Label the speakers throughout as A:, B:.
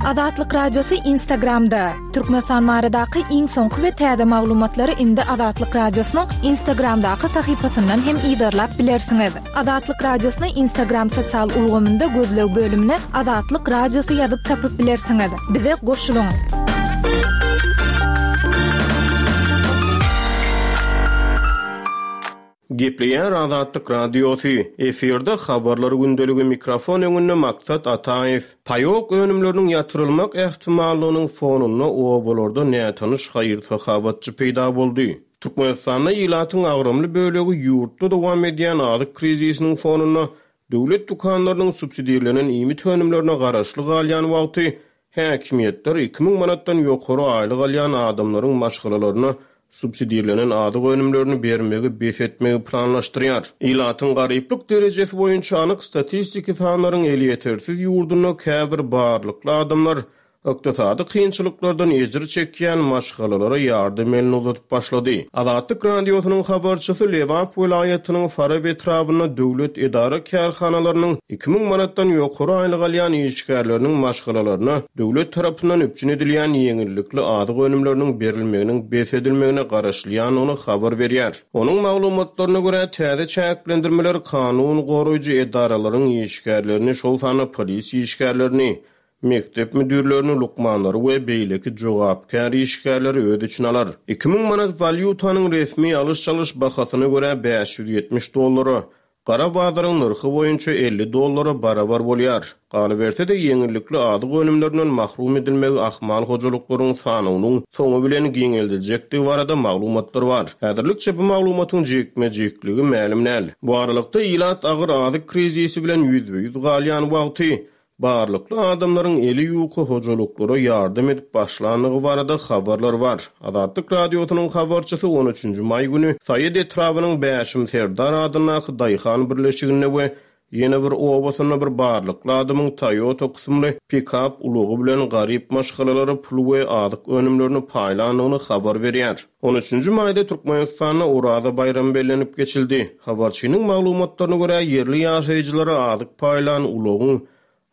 A: Azatlyk Radiosy Instagramda! Türkmenistan baradaky iň soňky we täze maglumatlary indi Azatlyk Radiosynyň Instagramdaky sahypasyndan hem yzarlap bilersiňiz. Azatlyk Radiosyny Instagram sosial ulgamynda gözleg bölümine Azatlyk Radiosy ýazyp tapyp bilersiňiz. Bize goşulyň!
B: Gepleýär Azatlyk Radiosy, efirde Habarlar gündeligi mikrofon öňünde Maksat Ataýew. Paýok önümleriniň ýatyrylmak ähtimallygynyň fonunda obalarda nätanyş haýyr-sahawatçy peýda boldy. Türkmenistanda ilatyň agramly bölegi ýurtda dowam edýän azyk krizisiniň fonunda döwlet dükanlarynyň subsidirlenen iýmit önümlerine garaşly galýan wagty Häkimiýetler 2000 manatdan ýokary aýlyk alýan adamlaryň maşgalalaryna subsidirlenen azyk önümlerini bermegi bes etmegi planlaşdyrýar. Ilatyň garyplyk derejesi boýunça anyk statistiki sanlaryň elýetersiz ýurdunda käbir barlykly adamlar ykdysady kynçylyklardan ejir çekýän maşgalalara ýardam elini uzadyp başlady. Azatlyk Radiosynyň habarçysy Lebap welaýatynyň Farap etrabynda döwlet edara-kärhanalarynyň 2000 manatdan ýokary aýlyk alýan işgärleriniň maşgalalaryna döwlet tarapyndan üpjün edilýän ýeňillikli azyk önümleriniň berilmeginiň bes edilmegine garaşylýandygyny habar berýär. Onuň maglumatlaryna görä, täze çäklendirmeler kanun goraýjy edaralaryň işgärlerini, şol sanda polisiýa işgärlerini, mekdep müdirlerini, lukmanlary we beýleki jogapkär işgärleri öz içine alar. 2000 manat walýutanyň resmi alyş-çalyş bahasyna görä 570 dollara, gara bazaryň nyrhy boýunça 50 dollara barabar bolýar. Galyberse-de, ýeňillikli azyk önümlerinden mahrum edilmegi ahmal hojalyklaryň sanawynyň soňy bilen giňeldiljekdigi barada maglumatlar bar. Häzirlikçe bu maglumatyň jikme-jikligi mälim däl. Bu aralykda, ilat agyr azyk krizisi bilen ýüzbe-ýüz galýan wagty, Barlykly adamlaryň eli ýuka hojalyklara ýardam edip başlandygy barada habarlar bar. Azatlyk Radiosynyň habarçysy on üçünji maý güni Saýat etrabynyň Bäşim Serdar adyndaky daýhan birleşiginde we ýene bir obasynda bir barlykly adamyň Toyota kysymly pikap ulagy bilen garyp maşgalalara pul we azyk önümlerini paýlandygyny habar berýär. On üçünji maýda Türkmenistanda Oraza baýramy bellenip geçildi. Habarçynyň maglumatlaryna görä, ýerli ýaşaýjylara azyk paýlan ulagyň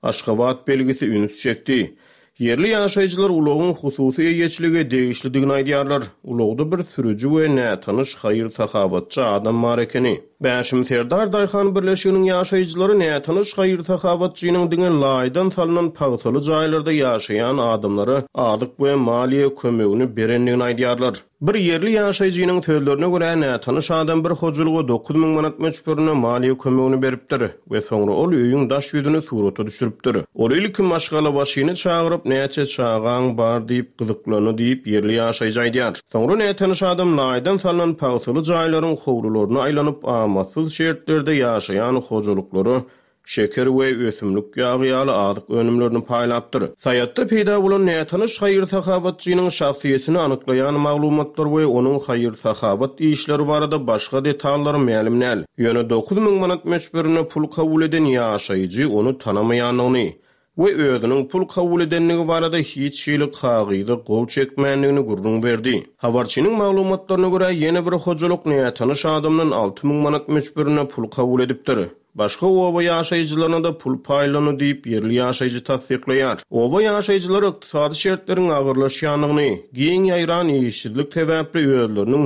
B: Aşgabat belgisi üns çekdi. Ýerli ýaşaýjylar ulagyň hususy eýeçilige degişlidigini aýdýarlar. Ulagda bir sürüji we nätanyş haýyr-sahawatçy adam bar ekeni. Bäşim Serdar daýhan birleşiginiň ýaşaýjylary nätanyş haýyr-sahawatçynyň diňe laýdan salnan pagsaly jaýlarda ýaşaýan adamlara azyk we maliýe kömegini berendigini aýdýarlar. Bir ýerli ýaşaýjynyň sözlerine görä, nätanyş adam bir hojalyga 9000 manat möçberinde maliýe kömegini beripdir we soňra ol öýüň daş ýüzüni surata düşüripdir. Ol ilki maşgalabaşyny çagyryp, näçe çagaň bar diýip gyzyklandy diýip, ýerli ýaşaýjy aýdýar. Soňra nätanyş adam laýdan salnan pagsaly jaýlaryň howlularyna aýlanyp, amatsyz şertlerde ýaşaýan hojalyklara şeker we ösümlik ýagy ýaly azyk önümlerini paýlapdyr. Saýatda peýda bolan nätanyş haýyr-sahawatçynyň şahsyýetini anyklaýan maglumatlar we onuň haýyr-sahawat işleri barada başga detallar mälim däl. Ýöne 9000 manat möçberinde pul kabul eden ýaşaýjy ony tanamaýandygyny, we özüniň pul kabul edendigi barada hiç hili kagyza gol çekmändigini gürrüň berdi. Habarçynyň maglumatlaryna görä, ýene bir hojalyk nätanyş adamdan 6000 manat möçberinde pul kabul edipdir. Başga oba ýaşaýjylaryna-da pul paýlandy diýip, ýerli ýaşaýjy tassyklaýar. Oba ýaşaýjylary ykdysady şertleriň agyrlaşýandygyny, giň ýaýran işsizlik sebäpli özleriniň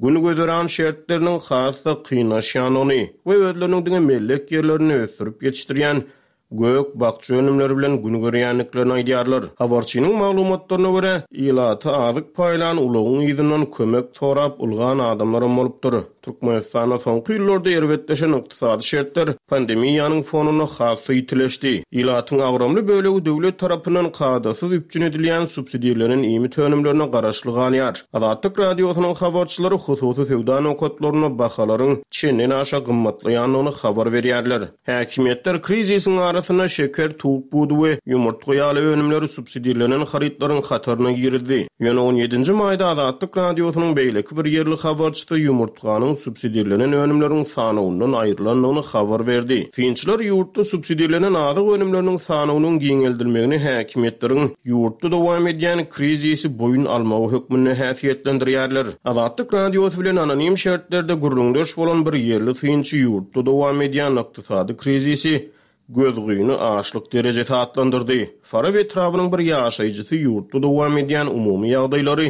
B: gün-güzeran şertleriniň has-da kynlaşýandygyny we özleriniň diňe mellek ýerlerinde ösdürip ýetişdirýän gök-bakja önümleri bilen gün görýändiklerini aýdýarlar. Habarçynyň maglumatlaryna görä, ilata azyk paýlan ulagyň yzyndan kömek sorap ylgan adamlaram bolupdyr. Türkmenistanda soňky ýyllarda erbetleşen ykdysady şertler pandemiýanyň fonunda has-da ýitileşdi. Ilatyň agramly bölegi döwlet tarapyndan kadasyz üpjün edilýän subsidirlenen iýmit önümlerine garaşly galýar. Azatlyk Radiosynyň habarçylary hususy söwda nokatlarynda bahalaryň çenden-aşa gymmatlaýandygyny habar berýärler. Häkimiýetler krizisiň arasynda şeker, towuk budy we ýumurtga ýaly önümleri subsidirlenen harytlaryň hataryna girizdi. Ýöne on ýedinji maýda Azatlyk Radiosynyň beýleki bir ýerli habarçysy ýumurtganyň subsidirlenen önümleriň sanawyndan aýrylandygyny habar berdi. Synçylar ýurtda subsidirlenen azyk önümleriniň sanawynyň giňeldilmegini häkimiýetleriň ýurtda dowam edýän krizisi boýun almagy hökmünde häsiýetlendirýärler. Azatlyk Radiosy bilen anonim şertlerde gürrüňdeş bolan bir ýerli synçy ýurtda dowam edýän ykdysady krizisi. Gözgyny açlyk derejesi atlandyrdy. Farap etrabynyň bir ýaşaýjysy ýurtda dowam edýän umumy ýagdaýlary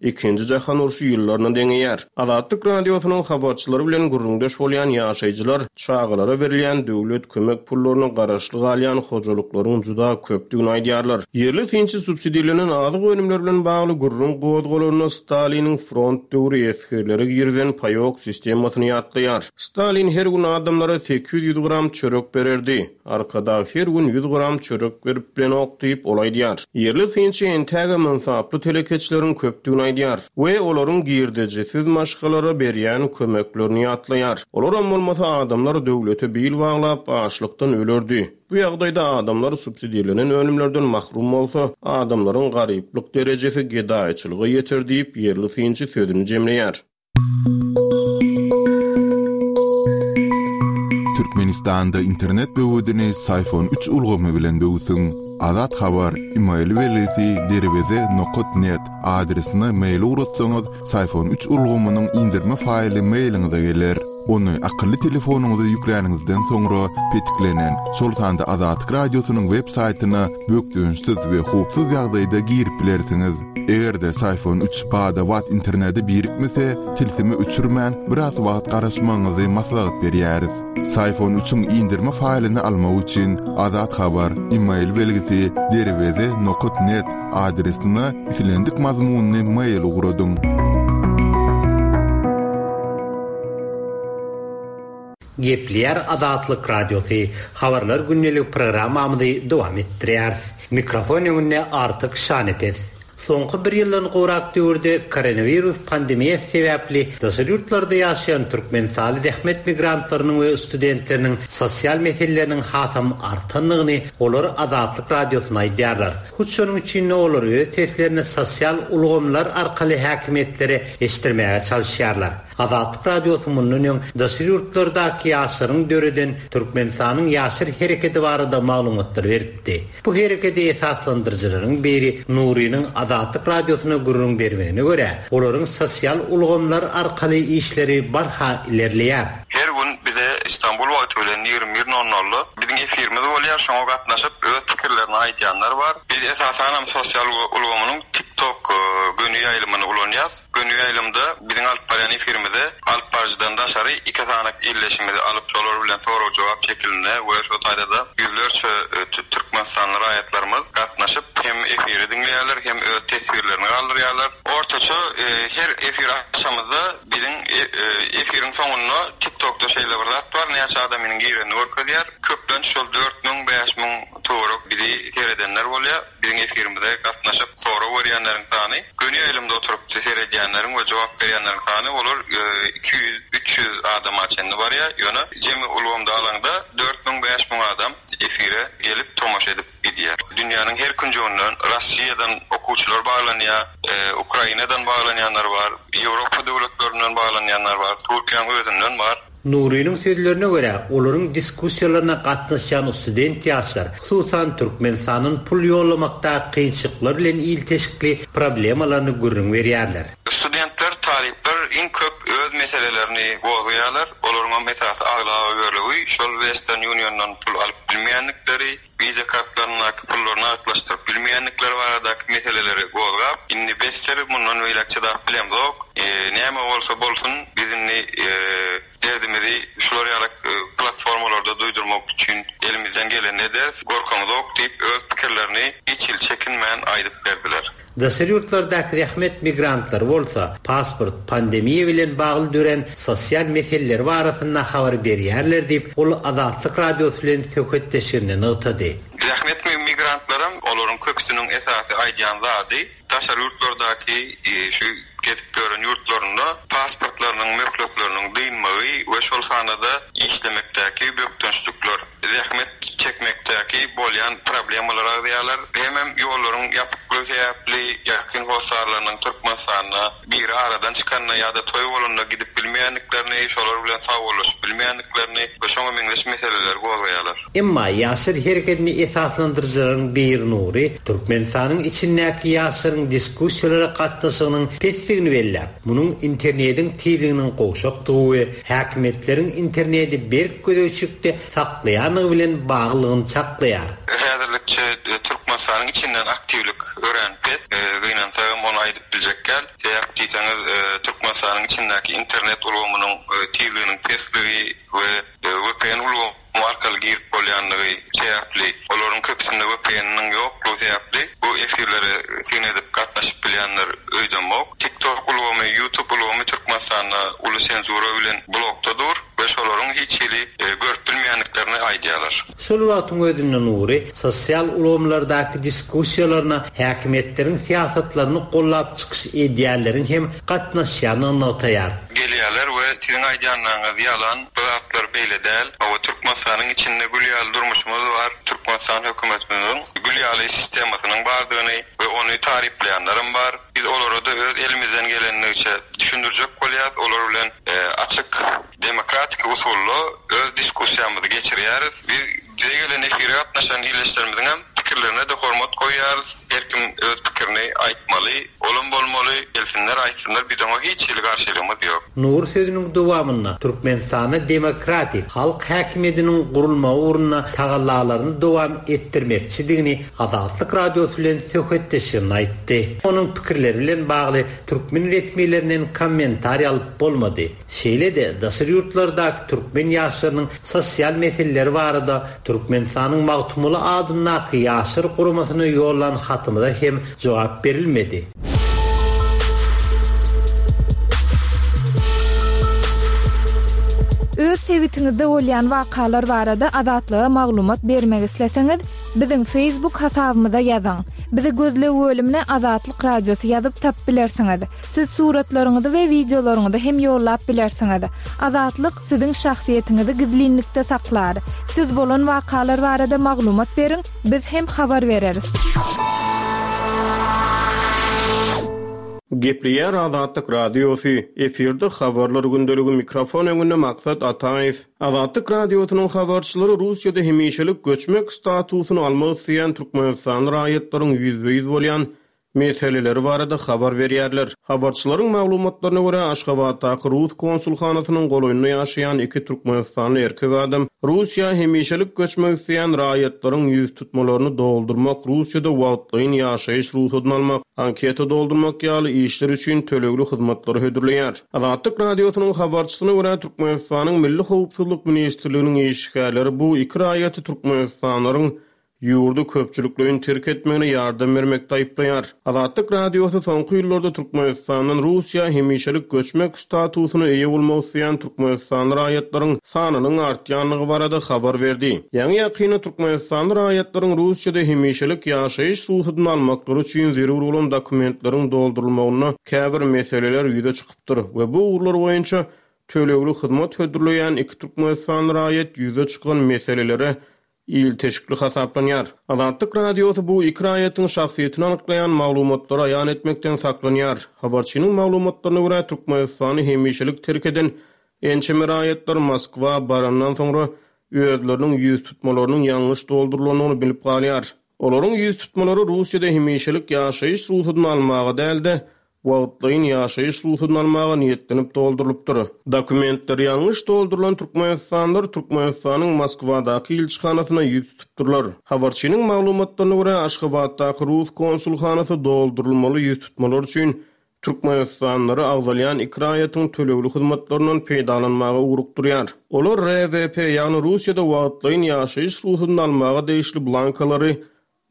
B: Ikinji jahan urşy ýyllaryna deňeýär. Azatlyk Radiosynyň habarçylary bilen gürrüňdeş bolýan ýaşaýjylar çagalara berilýän döwlet kömek pullaryna garaşly galýan hojalyklaryň juda köpdügini aýdýarlar. Ýerli synçy subsidirlenen azyk önümleri bilen bagly gürrüň gozgalanda Staliniň front döwri esgerlere girizen paýok sistemasyny ýatlaýar. Stalin her gün adamlara 800 gram çörek bererdi. Arkadag her gün ýüz gram çörek berip bilenok diýip, ol aýdýar. Ýerli synçy entägem ynsaply telekeçileriň köpdügini aýdýar we olaryň girdejisiz maşgalara berýän kömeklerini ýatlaýar. Olaram bolmasa adamlar döwlete bil baglap, açlykdan ölerdi. Bu ýagdaýda adamlar subsidirlenen önümlerden mahrum bolsa, adamlaryň garyplyk derejesi gedaýçylyga ýeter diýip, ýerli synçy sözüni jemleýär.
C: Türkmenistanda internet böwedini Syfon üç ulgamy bilen böwsüň. Azat Habar, email belgisi derweze nokat net adresine mail ugratsaňyz, Syfon üç ulgamynyň indirme faýly mailiňize geler. Ony akylly telefonyňyza ýükläniňizden soňra petiklenen, şol sanda Azatlyk Radiosynyň web saýtyna bökdençsiz we howpsuz ýagdaýda girip bilersiňiz. Eger-de Syfon üç bada-bat internete birikmese, tilsimi öçürmän, biraz wagt garaşmagyňyzy maslahat berýäris. Syfon üçiň indirme faýlyny almak üçin Azat Habar, email belgisi, derweze nokat net adresine islendik mazmunly mail ugradyň.
D: Gepleýär Azatlyk Radiosy, Habarlar gündelik programmamyzy dowam etdirýäris. Mikrofon öňünde Artyk Şanepes. Soňky bir ýyldan gowrak döwürde koronawirus pandemiýasy sebäpli daşary ýurtlarda ýaşaýan türkmenistanly zähmet migrantlarynyň we studentleriniň sosial meseleleriniň hasam artandygyny olar Azatlyk Radiosyna aýdýarlar. Hut şonuň üçin-de olar öz seslerini sosial ulgamlar arkaly häkimiýetlere eşitdirmäge çalyşýarlar. Azatlyk Radiosy mundan öň daşary ýurtlardaky ýaşlaryň döreden Türkmenistanyň Ýaşlar hereketi barada maglumatlar beripdi. Bu herekedi esaslandyryjylaryň biri Nurynyň Azatlyk Radiosyna gürrüň bermegine görä, olaryň sosial ulgamlar arkaly işleri barha ilerleýär.
E: Her gün bize Istanbul wagty bilen 21 nol nolda biziň efirimiz bolýar, şoňa gatnaşyp öz pikirlerini aýdýanlar bar. Biz esasanam sosial ulgamynyň TikTok göni ýaýlymyny ulanýas. Göni ýaýlymda biziň alyp barýan efirimize alyp baryjydan daşary iki sany ildeşimizi alyp şolar bilen sorag-jogap şekilinde we şo taýda-da ýüzlerçe türkmenistanly raýatlarymyz gatnaşyp hem efiri diňleýärler hem öz teswirlerini galdyrýarlar. Ortaça her efir açamyzda biziň efiriň soňunda TikTokda şeýle bir zat bar näçe adamynyň girenini görkezýär. Köplenç şol 4000, 5000 töwerek bizi seredenler bolýar. Biziň efirimize gatnaşyp sorag berýänleriň sany, göni ýaýlymda oturyp seredýänleriň we jogap berýänleriň sany olar 200, 300 adama çenli barýar. Ýöne jemi ulgamda alaňda 4000, 5000 adam efire gelip tomaşa edip gidýär. Dünýäniň her künjeginden, Rossiýadan okuwçylar baglanýar, Ukrainadan baglanýanlar bar, Ýewropa döwletlerinden baglanýanlar bar, Türkiýäň özünden bar.
D: Nurynyň sözlerine görä, olaryň diskussiýalaryna gatnaşýan student ýaşlar, hususan, Türkmenistandan pul ýollamakdaky kynçylyklar bilen ilteşikli problemalaryny gürrüň berýärler.
E: Studentler, talyplar iň köp öz meselelerini gozgaýarlar. Olaryňam esasy aglaba bölegi şol Western Uniondan pul alyp bilmeýändikleri, Visa kartlaryndaky pullary nagtlaşdyryp bilmeýändikleri baradaky meseleleri gozgap, indi besdir, mundan beýläk çydap bilemzok, näme bolsa bolsun, biz indi derdimizi şular ýaly platformalarda duýdurmak üçin elimizden gelenini ederis, gorkamyzok diýip, öz pikirlerini hiç hili çekinmän aýdyp berdiler.
D: Daşary ýurtlardaky zähmet migrantlary bolsa, pasport, pandemiýa bilen bagly dörän sosial meseleler barasynda habar berýärler diýip, ol Azatlyk Radiosy bilen söhbetdeşliginde nygtady.
E: Zähmet migrantlaram, olaryň köpüsiniň esasy aýdýan zady, daşary ýurtlardaky şu gezip ýören ýurtlarynda pasportlarynyň möhletleriniň dynmagy we şol sanda-da işlemekdäki bökdençlikler. zähmet çekmekdäki bolýan problemalary agzaýarlar. Hemem ýollaryň ýapyklygy. ýoklugy sebäpli ýakyn hossarlarynyň Türkmenistanda biri aradan çykanda ýa-da toý bolanda gidip bilmeýändiklerini, şolar bilen sagbollaşyp bilmeýändiklerini we şoňa meňzeş meseleleri gozgaýarlar.
D: Emma Ýaşlar hereketini esaslandyryjylaryň biri Nury Türkmenistanyň içindäki ýaşlaryň diskussiýalara gatnaşygynyň pesdigini belläp, munuň internediň tizliginiň gowşakdygy we häkimiýetleriň internedi berk gözegçilikde saklaýandygy bilen baglylygyny çaklaýar.
E: Häzirlikçe Türkmenistanyň içinden aktiwlik örän pes. Gynansagam ony aýdyp biljek däl. Sebäp diýseňiz, Türkmenistanyň içindäki internet ulgamynyň tizliginiň pesligi we vpn ulgamy arkaly girip bolýanlygy sebäpli, olaryň köpüsinde vpn-niň ýoklugy sebäpli bu efirlere syn edip gatnaşyp bilýänler öýdemok. TikTok ulgamy, YouTube ulgamy Türkmenistanda uly senzura bilen blokda dur we şolaryň hiç hili görüp bilmeýändiklerini aýdýarlar.
D: Şol wagtyň özünde Nury sosial ulgamlardaky diskussiýalaryna häkimiýetleriň syýasatlaryny gollap çykyş edýänleriň hem gatnaşýandygyny nygtaýar.
E: Gelýärler we siziň aýdýanlaryňyz ýalan, bu zatlar beýle däl. Hawa, Türkmenistanyň içinde gül ýaly durmuşymyz bar, Türkmenistan hökümetimiziň gül ýaly sistemasynyň bardygyny we ony taryplaýanlaram bar. Biz olara-da öz elimizden gelendigiçe düşündirjek bolýarys, olar bilen açyk Demokratiki usulda öz diskussiýamyzy geçirýäris. Biz bize gelen efire gatnaşan ildeşlerimiziňem pikirlerine-de hormat goýýarys. Her kim öz pikirini aýtmaly, olam bolmaly, gelsinler aýtsynlar, biz oňa hiç hili garşylygymyz ýok.
D: Nury sözüniň dowamynda Türkmenistanda demokratik, halk häkimiýediniň gurulmagy ugrunda tagallalaryny dowam etdirmekçidigini Azatlyk Radiosy bilen söhbetdeşliginde aýtdy. Onuň pikirleri bilen bagly türkmen resmilerinden kommentariý alyp bolmady. Şeýle-de, daşary ýurtlardaky türkmen ýaşlarynyň sosial meseleleri barada Türkmenistanyň Magtymguly adyndaky Ýaşlar guramasyna ýollan hatymyza hem jogap berilmedi.
A: Öz sebitiňizde bolýan wakalar barada Azatlyga maglumat bermek isleseňiz, biziň Facebook hasabymyza ýazyň. Bizi gözleg bölümine Azatlyk Radiosy ýazyp tapyp bilersiňiz. Siz suratlaryňyzy we wideolaryňyzy hem ýollap bilersiňiz. Azatlyk siziň şahsyýetiňizi gizlinlikde saklar. Siz bolan wakalar barada maglumat beriň, biz hem habar bereris.
B: Gepleýär Azatlyk Radiosy, efirde Habarlar gündeligi mikrofon öňünde Maksat Ataýew. Azatlyk Radiosynyň habarçylary Russiýada hemişelik göçmek statusyny almak isleýän türkmenistanly raýatlaryň ýüzbe-ýüz bolýan meseleleri barada habar berýärler. Habarçylaryň maglumatlaryna görä, Aşgabatdaky rus konsulhanasynyň golaýynda ýaşaýan iki türkmenistanly erkek adam Russiýa hemişelik göçmek isleýän raýatlaryň ýüztutmalaryny doldurmak, Russiýada wagtlaýyn ýaşaýyş rugsadyny almak, anketa doldurmak ýaly işler üçin tölegli hyzmatlary hödürleýär. Azatlyk Radiosynyň habarçysyna görä, Türkmenistanyň Milli howpsuzlyk ministrliginiň işgärleri bu iki raýaty türkmenistanlylaryň ýurdy köpçülikleýin terk etmegine ýardam bermekde aýyplaýar. Azatlyk Radiosy soňky ýyllarda Türkmenistandan Russiýa hemişelik göçmek statusyna eýe bolmak isleýän türkmenistanly raýatlaryň sanynyň artýandygy barada habar berdi. Ýaňy-ýakynda türkmenistanly raýatlaryň Russiýada hemişelik ýaşaýyş rugsadyny almaklary üçin zerur bolan dokumentleriň doldurylmagynda käbir meseleler ýüze çykypdyr we bu ugurlar boýunça tölegli hyzmat hödürleýän iki türkmenistanly raýat ýüze çykan meselelere ilteşikli hasaplanýar. Azatlyk Radiosy bu iki raýatyň şahsyýetini anyklaýan maglumatlary aýan etmekden saklanýar. Habarçynyň maglumatlaryna görä, Türkmenistany hemişelik terk eden ençeme raýatlar Moskwa barandan soňra özleriniň ýüztutmalarynyň ýalňyş doldurylandygyny bilip galýar. Olaryň ýüztutmalary Russiýada hemişelik ýaşaýyş rugsadyny almaga däl-de, wagtlaýyn ýaşaýyş rugsadyny almaga niýetlenip doldurylypdyr. Dokumentleri ýalňyş doldurylan türkmenistanlylar Türkmenistanyň Moskwadaky ilçihanasyna ýüz tutupdyrlar. Habarçynyň maglumatlaryna görä, Aşgabatdaky rus konsulhanasy doldurylmaly ýüztutmalar üçin türkmenistanlylary agzalýan iki raýatyň tölegli hyzmatlaryndan peýdalanmaga ugrukdyrýar. Olar RWP, ýagny Russiýada wagtlaýyn ýaşaýyş rugsadyny almaga degişli blankalary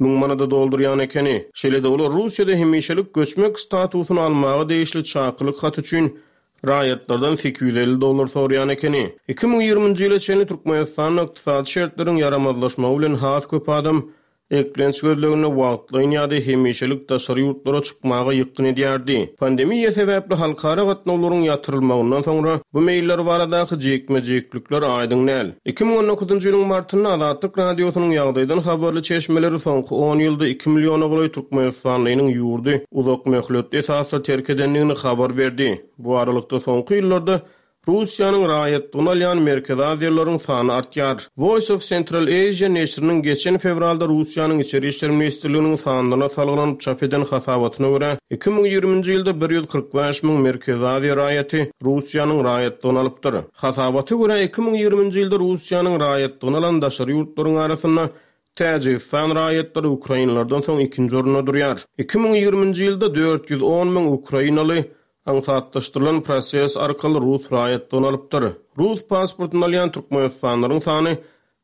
B: Müň manada doldurýan ekeni. Şeýle-de olar Russiýada hemişelik göçmek statusyny almaga degişli çakylyk haty üçin raýatlardan 850 dollar soraýan ekeni. 2020-nji ýyla çenli Türkmenistanda ykdysady şertleriň ýaramazlaşmagy bilen has köp adam. Eklenç gözleginde wagtlaýyn ýa-da hemişelik daşary ýurtlara çykmaga ýykgyn edýärdi. Pandemiýa sebäpli halkara gatnawlaryň ýatyrylmagyndan soňra bu meýiller baradaky jikme-jiklikler aýdyň däl. 2019-njy ýylyň martynda Azatlyk Radiosynyň ýagdaýdan habarly çeşmeleri soňky on ýylda iki milliona golaý türkmenistanlynyň ýurdy uzak möhletli esasda terk edendigini habar berdi. Bu aralykda soňky ýyllarda Russiýanyň raýatlygyny alýan merkezi aziýalylaryň sany artýar. Voice of Central Asia neşiriniň geçen fewralda Russiýanyň Içeri işler ministrliginiň sanlaryna salgylanyp çap eden hasabatyna görä, 2020-nji ýylda 145 müň Merkezi Aziýa raýaty Russiýanyň raýatlygyny alypdyr. Hasabata görä, 2020-nji ýylda Russiýanyň raýatlygyny alan daşary ýurtlaryň arasynda Täjigistan raýatlary ukrainlerden soň ikinji orunda durýar. 2020-nji ýylda 410 müň ukrainaly aňsatlaşdyrylan proses arkaly rus raýatlygyny alypdyr. Rus pasportyny alýan türkmenistanlylaryň sany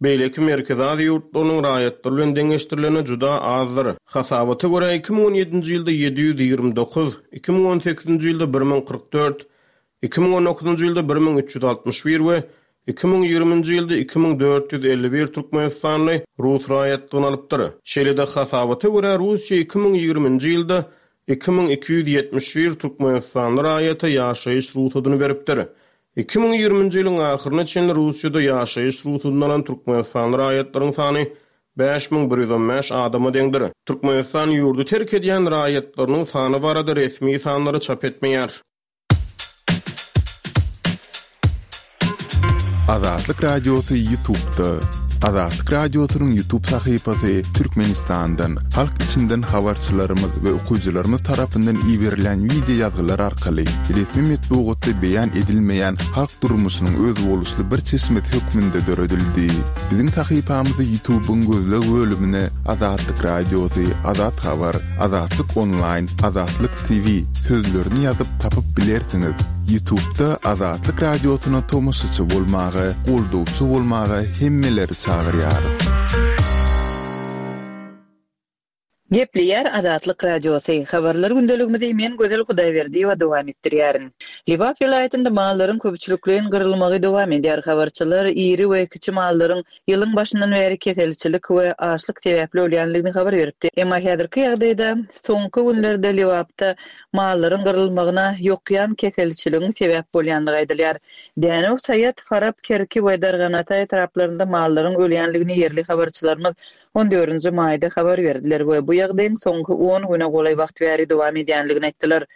B: beýleki Merkezi Aziýa ýurtlarynyň raýatlary bilen deňeşdirilende juda azdyr. Hasabata görä, 2017-nji ýylda 729, 2018-nji ýylda 1044, 2019-njy ýylda 1361 we 2020-nji ýylda 2451 türkmenistanly rus raýatlygyny alypdyr. Şeýle-de, hasabata görä, Russiýa 2020-nji ýylda 2271 türkmenistanly raýata ýaşaýyş rugsadyny beripdir. 2020-nji ýylyň ahyryna çenli Russiýada ýaşaýyş rugsadyny alan türkmenistanly raýatlaryň sany 5115 adama deňdir. Türkmenistan ýurdy terk edýän raýatlarynyň sany barada resmi sanlary çap etmeýär.
C: Azatlyk Radiosy Ýutubda. Azatlyk Radiosynyň Ýutub sahypasy Türkmenistandan, halk içinden habarçylarymyz we okyjylarymyz tarapyndan iberilen wideo ýazgylar arkaly resmi metbugatda beýan edilmeýän halk durmuşynyň özboluşly bir çeşmesi hökmünde döredildi. Biziň sahypamyzy Ýutubyň gözleg bölümine Azatlyk Radiosy, Azat Habar, Azatlyk Onlaýn, Azatlyk TV sözlerini ýazyp tapyp bilersiňiz. Ýutubda Azatlyk Radiosyna tomaşaçy bolmaga, goldawçy bolmaga hemmeleri çagyrýarys.
F: Gepleýär Azatlyk Radiosy, Habarlar gündeligimizi men Gözel Hudaýberdiýewa dowam etdirýärin. Lebap welaýatynda mallaryň köpçülikleýin gyrylmagy dowam edýär. Habarçylar iri we kiçi mallaryň ýylyň başyndan bäri keselçilik we açlyk sebäpli ölýändigini habar beripdi. Emma häzirki ýagdaýda soňky günlerde Lebapda mallaryň gyrylmagyna ýokýan keselçiligiň sebäp bolýandygy aýdylýar. Dänew, Saýat, Farap, Kerki we Darganata etraplarynda mallaryň ölýändigini ýerli habarçylarymyz on dördünji maýda habar berdiler we bu ýagdaýyň soňky on güne golaý wagt bäri dowam edýändigini aýtdylar.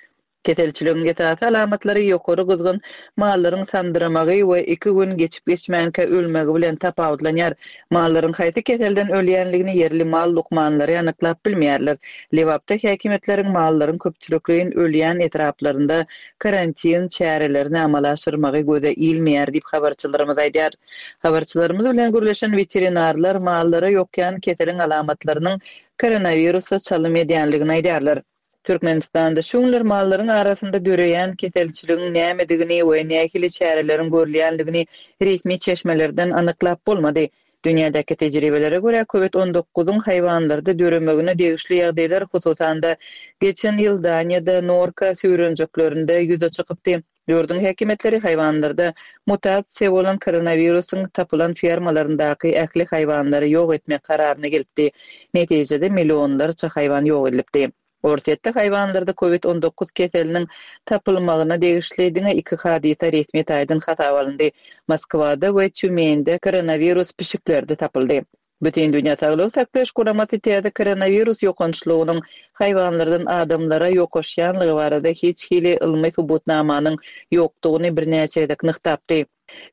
F: Keselçiligiň esasy alamatlary ýokary gyzgyn, mallaryň sandyramagy we iki gün geçip-geçmänkä ölmegi bilen tapawutlanýar. Mallaryň haýsy keselden ölýänligini ýerli mal lukmanlary anyklap bilmeýärler. Lebapda häkimiýetleriň mallaryň köpçülikleýin ölýän etraplarynda karantin çärelerini amala aşyrmagy göze ilmeýär diýip, habarçylarymyz aýdýar. Habarçylarymyz bilen gürleşen weterinarlar mallara ýokýan keseliň alamatlarynyň koronawirusa çalym edýänligini aýdýarlar. Türkmenistanda şu günler mallaryň arasynda döreýän keselçiligiň nämedigini we nähili çäreleriň görülýänligini resmi çeşmelerden anyklap bolmady. Dünýädäki tejribelere görä, Covid on dokuzyň haýwanlarda döremegine degişli ýagdaýlar, hususan-da, geçen ýyl Daniýada norka süýrenjeklerinde ýüze çykypdy. Ýurduň häkimiýetleri haýwanlarda mutasiýa bolan koronawirusyň tapylan fermalaryndaky ähli haýwanlary ýok etmek kararyna gelipdi. Netijede millionlarça haýwan ýok edilipdi. Orsýetde haýwanlarda covid 19 keseliniň tapylmagyna degişli diňe iki hadysa resmi taýdan hasaba alyndy, Moskwada we Týumende koronawirus pişiklerde tapyldy. Bütindünýä Saglygy Saklaýyş Guramasy täze koronawirus ýokançlygynyň haýwanlardan adamlara ýokaşýanlygy barada hiç hili ylmy subutnamanyň ýokdugyny birnäçe gezek nygtapdy.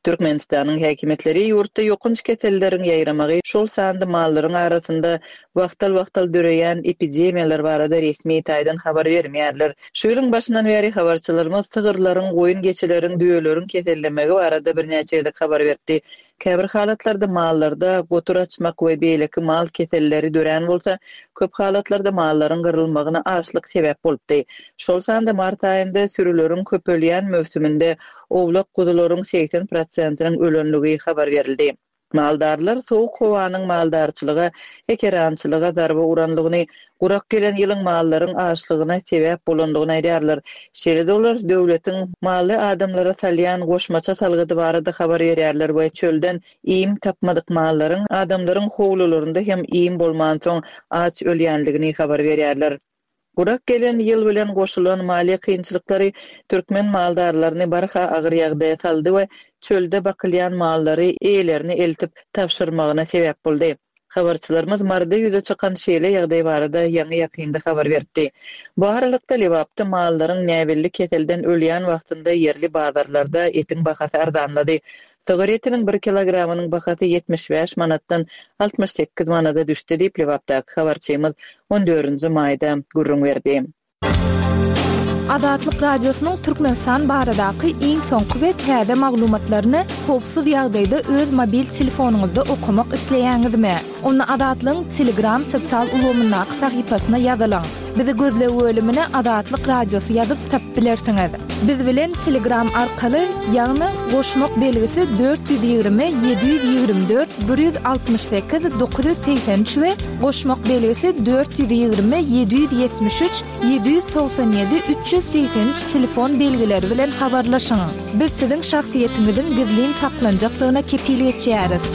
F: Türkmenistanyň häkimiýetleri ýurtda ýokanç keselleriň ýaýramagy, şol sanda mallaryň arasynda wagtal-wagtal döreýän epidemiýalar barada resmi taýdan habar bermeýärler. Şu ýylyň başyndan bäri habarçylarymyz sygyrlaryň, goýun-geçileriň, düýeleriň kesellemegi barada birnäçe gezek habar beripdi. Käbir halatlarda mallarda gotur açmak we beýleki mal keselleri dörän bolsa, köp halatlarda mallaryň gyrylmagyna açlyk sebäp bolupdy. Şol sanda mart aýynda sürüleriň köpelýän möwsüminde owlak-guzularyň 80 prosentiniň ölenligi habar berildi. Maldarlar sowuk howanyň maldarçylyga, ekerançylyga zarba uranlygyny, gurak gelen ýylyň mallaryň açlygyna sebäp bolandygyny aýdýarlar. Şeýle-de olar döwletiň mally adamlara salýan goşmaça salgydy barada habar berýärler we çölden iým tapmadyk mallaryň adamlaryň howlularynda hem iým bolmansoň aç ölýändigini habar berýärler. Gurak gelen ýyl bilen goşulan maliýe kynçylyklary türkmen maldarlaryny barha agyr ýagdaýa saldy we çölde bakylýan mallary eýelerine eltip tabşyrmagyna sebäp boldy. Habarçylarymyz Maryda ýüze çykan şeýle ýagdaý barada ýaňy-ýakynda habar beripdi. Bu aralykda, Lebapda mallaryň näbelli keselden ölýän wagtynda ýerli bazarlarda etiň bahasy arzanlady. Sygyr etiniň bir kilogramynyň bahasy 75 manatdan 68 manada düşdi diýip, Lebapdaky habarçymyz on dördünji maýda gürrüň berdi.
A: Azatlyk Radiosynyň Türkmenistan baradaky iň soňky we täze maglumatlaryny howpsuz ýagdaýda öz mobil telefonyňyzda okamak isleýäňizmi? Onda Azatlygyň Telegram sosial ulgamyndaky sahypasyna ýazylyň. Bizi gözleg bölümine Azatlyk Radiosy ýazyp tapyp bilersiňiz. Biz bilen Telegram arkaly, ýagny goşmak belgisi 420 724 168 983 we goşmak belgisi 420 773 797 383 telefon belgileri bilen habarlaşyň. Biz siziň şahsyýetiňiziň gizlin saklanjakdygyna kepil geçýäris.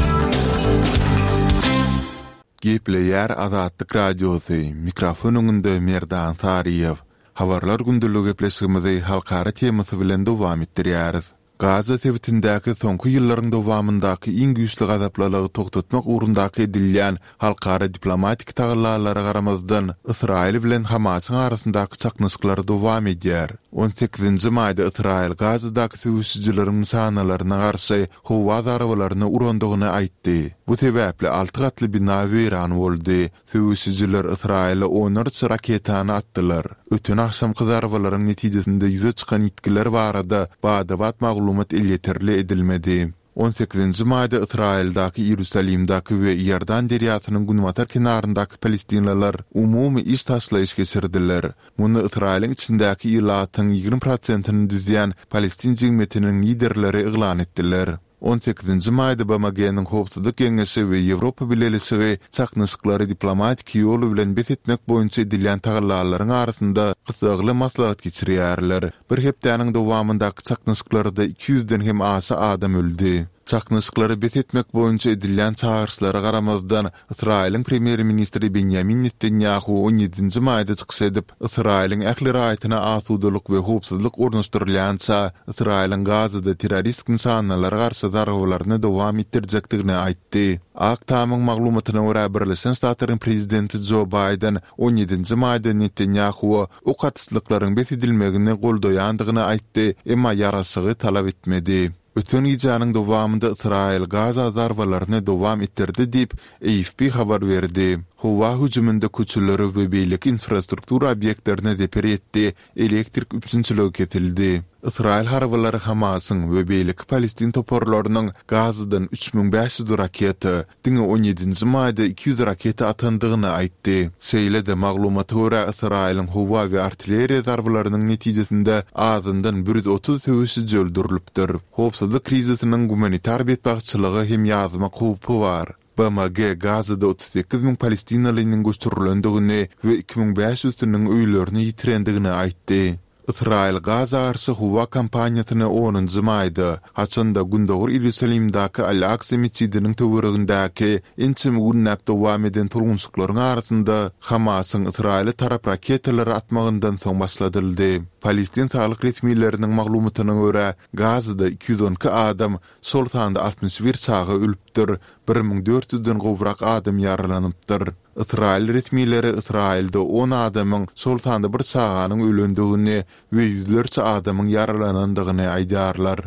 C: Gepleýär Azatlyk Radiosy, mikrofon öňünde Merdan Saryýew. Habarlar gündeligi gepleşigimizi halkara temasy bilen dowam etdirýäris. Gaza sebitindäki soňky ýyllaryň dowamyndaky iň güýçli gazaplylygy togtatmak ugrundaky edilýän halkara diplomatik tagallalara garamazdan, Ysraýyl bilen Hamasyň arasyndaky çaknyşyklar dowam edýär. On sekizinji maýda Ysraýyl Gazadaky söweşijileriň nyşanalaryna garşy howa zarbalaryny urandygyny aýtdy. Bu sebäpli alty gatly bina weýran boldy. Söweşijiler Ysraýyla onlarça raketany atdylar. Öten agşamky zarbalaryň netijesinde ýüze çykan ýitgiler barada bada-bat maglumat elýeterli edilmedi. On sekizinji maýda Ysraýyldaky Iýerusalimdäki we Iordan derýasynyň günbatar kenaryndaky palestinliler umumy iş taşlaýyş geçirdiler. Muny Ysraýylyň içindäki ilatyň 20 prosentini düzýän palestin jemgyýetiniň liderleri yglan etdiler. On sekizinji maýda BMG-niň Howpsuzlyk Geňeşi we Ýewropa Bileleşigi çaknyşyklary diplomatiki ýol bilen bes etmek boýunça edilýän tagallalaryň arasynda gyssagly maslahat geçirýärler. Bir hepdäniň dowamyndaky çaknyşyklarda iki ýüzden hem aşa adam öldi. Çaknyşyklary bes etmek boýunça edilýän çagyryşlara garamazdan, Ysraýylyň premýer-ministri Benýamin Netanýahu on ýedinji maýda çykyş edip, Ysraýylyň ähli raýatyna asudalyk we howpsuzlyk ornaşdyrylýança, Ysraýylyň Gazada terroristik nyşanalara garşy zarbalaryny dowam etdirjekdigini aýtdy. Ak Tamyň maglumatyna görä, Birleşen Ştatlaryň prezidenti Jo Baýden on ýedinji maýda Netanýahua ok atyşlyklaryň bes edilmegini goldaýandygyny aýtdy, emma ýaraşygy talap etmedi. Öten gijäniň dowamynda Ysraýyl Gaza zarbalaryny dowam etdirdi diýip, AFP habar berdi. Howa hüjüminde köçelere we beýleki infrastruktura obýektlerine zeper ýetdi, elektrik üpjünçiligi kesildi. Ysraýyl harbylary Hamasyň we beýleki palestin toparlarynyň Gazadan 3500 raketa, diňe on ýedinji maýda 200 raketa atandygyny aýtdy. Şeýle-de, maglumata görä, Ysraýylyň howa we artilleriýa zarbalarynyň netijesinde azyndan 130 söweşiji öldürilipdir. Howpsuzlyk krizisiniň gumanitar betbagtçylyga hem ýazmak howpy bar. BMG Gazada 38 müň palestinalynyň göçürilendigini we 2500 üsiniň öýlerini ýitirendigini aýtdy. Ysraýyl Gaza garşy howa kampaniýasyny onunjy maýda, haçan-da Gündogar Iýerusalimdäki Al-Aksa metjidiniň töweregindäki ençeme günläp dowam eden tolgunşyklaryň arasynda Hamasyň Ysraýyla tarap raketalary atmagyndan soň başladyldy. Palestin saglyk resmileriniň maglumatyna görä, Gazada 212 adam, şol sanda 61 çaga ölüpdir, 1400 den gowrak adam ýaralanypdyr. Ysraýyl resmileri Ysraýylda on adamyň, şol sanda bir çaganyň ölendigini we ýüzlerçe adamyň ýaralanandygyny aýdýarlar.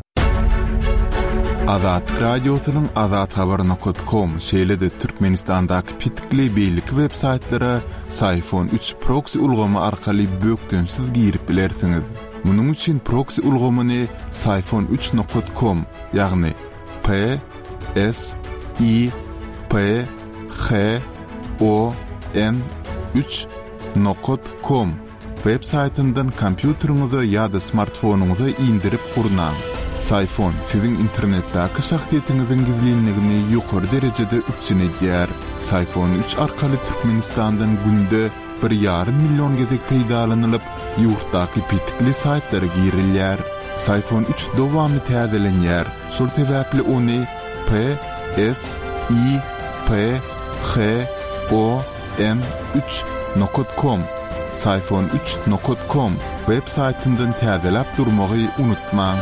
C: Azatlyk Radiosynyň azathabar nokat kom, şeýle-de Türkmenistandaky petikli beýleki web saýtlara Syfon üç proksi ulgamy arkaly bökdençsiz girip bilersiňiz. Munuň üçin proksi ulgamyny Syfon üç nokat kom, ýagny P S I P H O N üç nokat kom web saýtyndan kompýuteriňize ýa-da smartfonyňyza indirip gurnaň. Syfon siziň internetdäki şahsyýetiňiziň gizlinligini ýokary derejede üpjün edýär. Syfon üç arkaly Türkmenistandan günde bir ýarym million gezek peýdalanylyp, ýurtdaky petikli saýtlara girilýär. Syfon üç dowamly täzelenýär, şol sebäpli ony P S I P H O N üç nokat kom, Syfon üç nokat kom, web saýtyndan täzeläp durmagy unutmaň.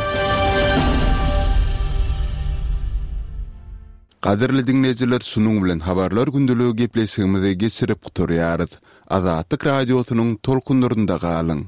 C: Gadyrly diňleýjiler şunuň bilen Habarlar gündeligi gepleşigimizi geçirip gutarýarys. Azatlyk Radiosynyň tolkunlarynda galyň!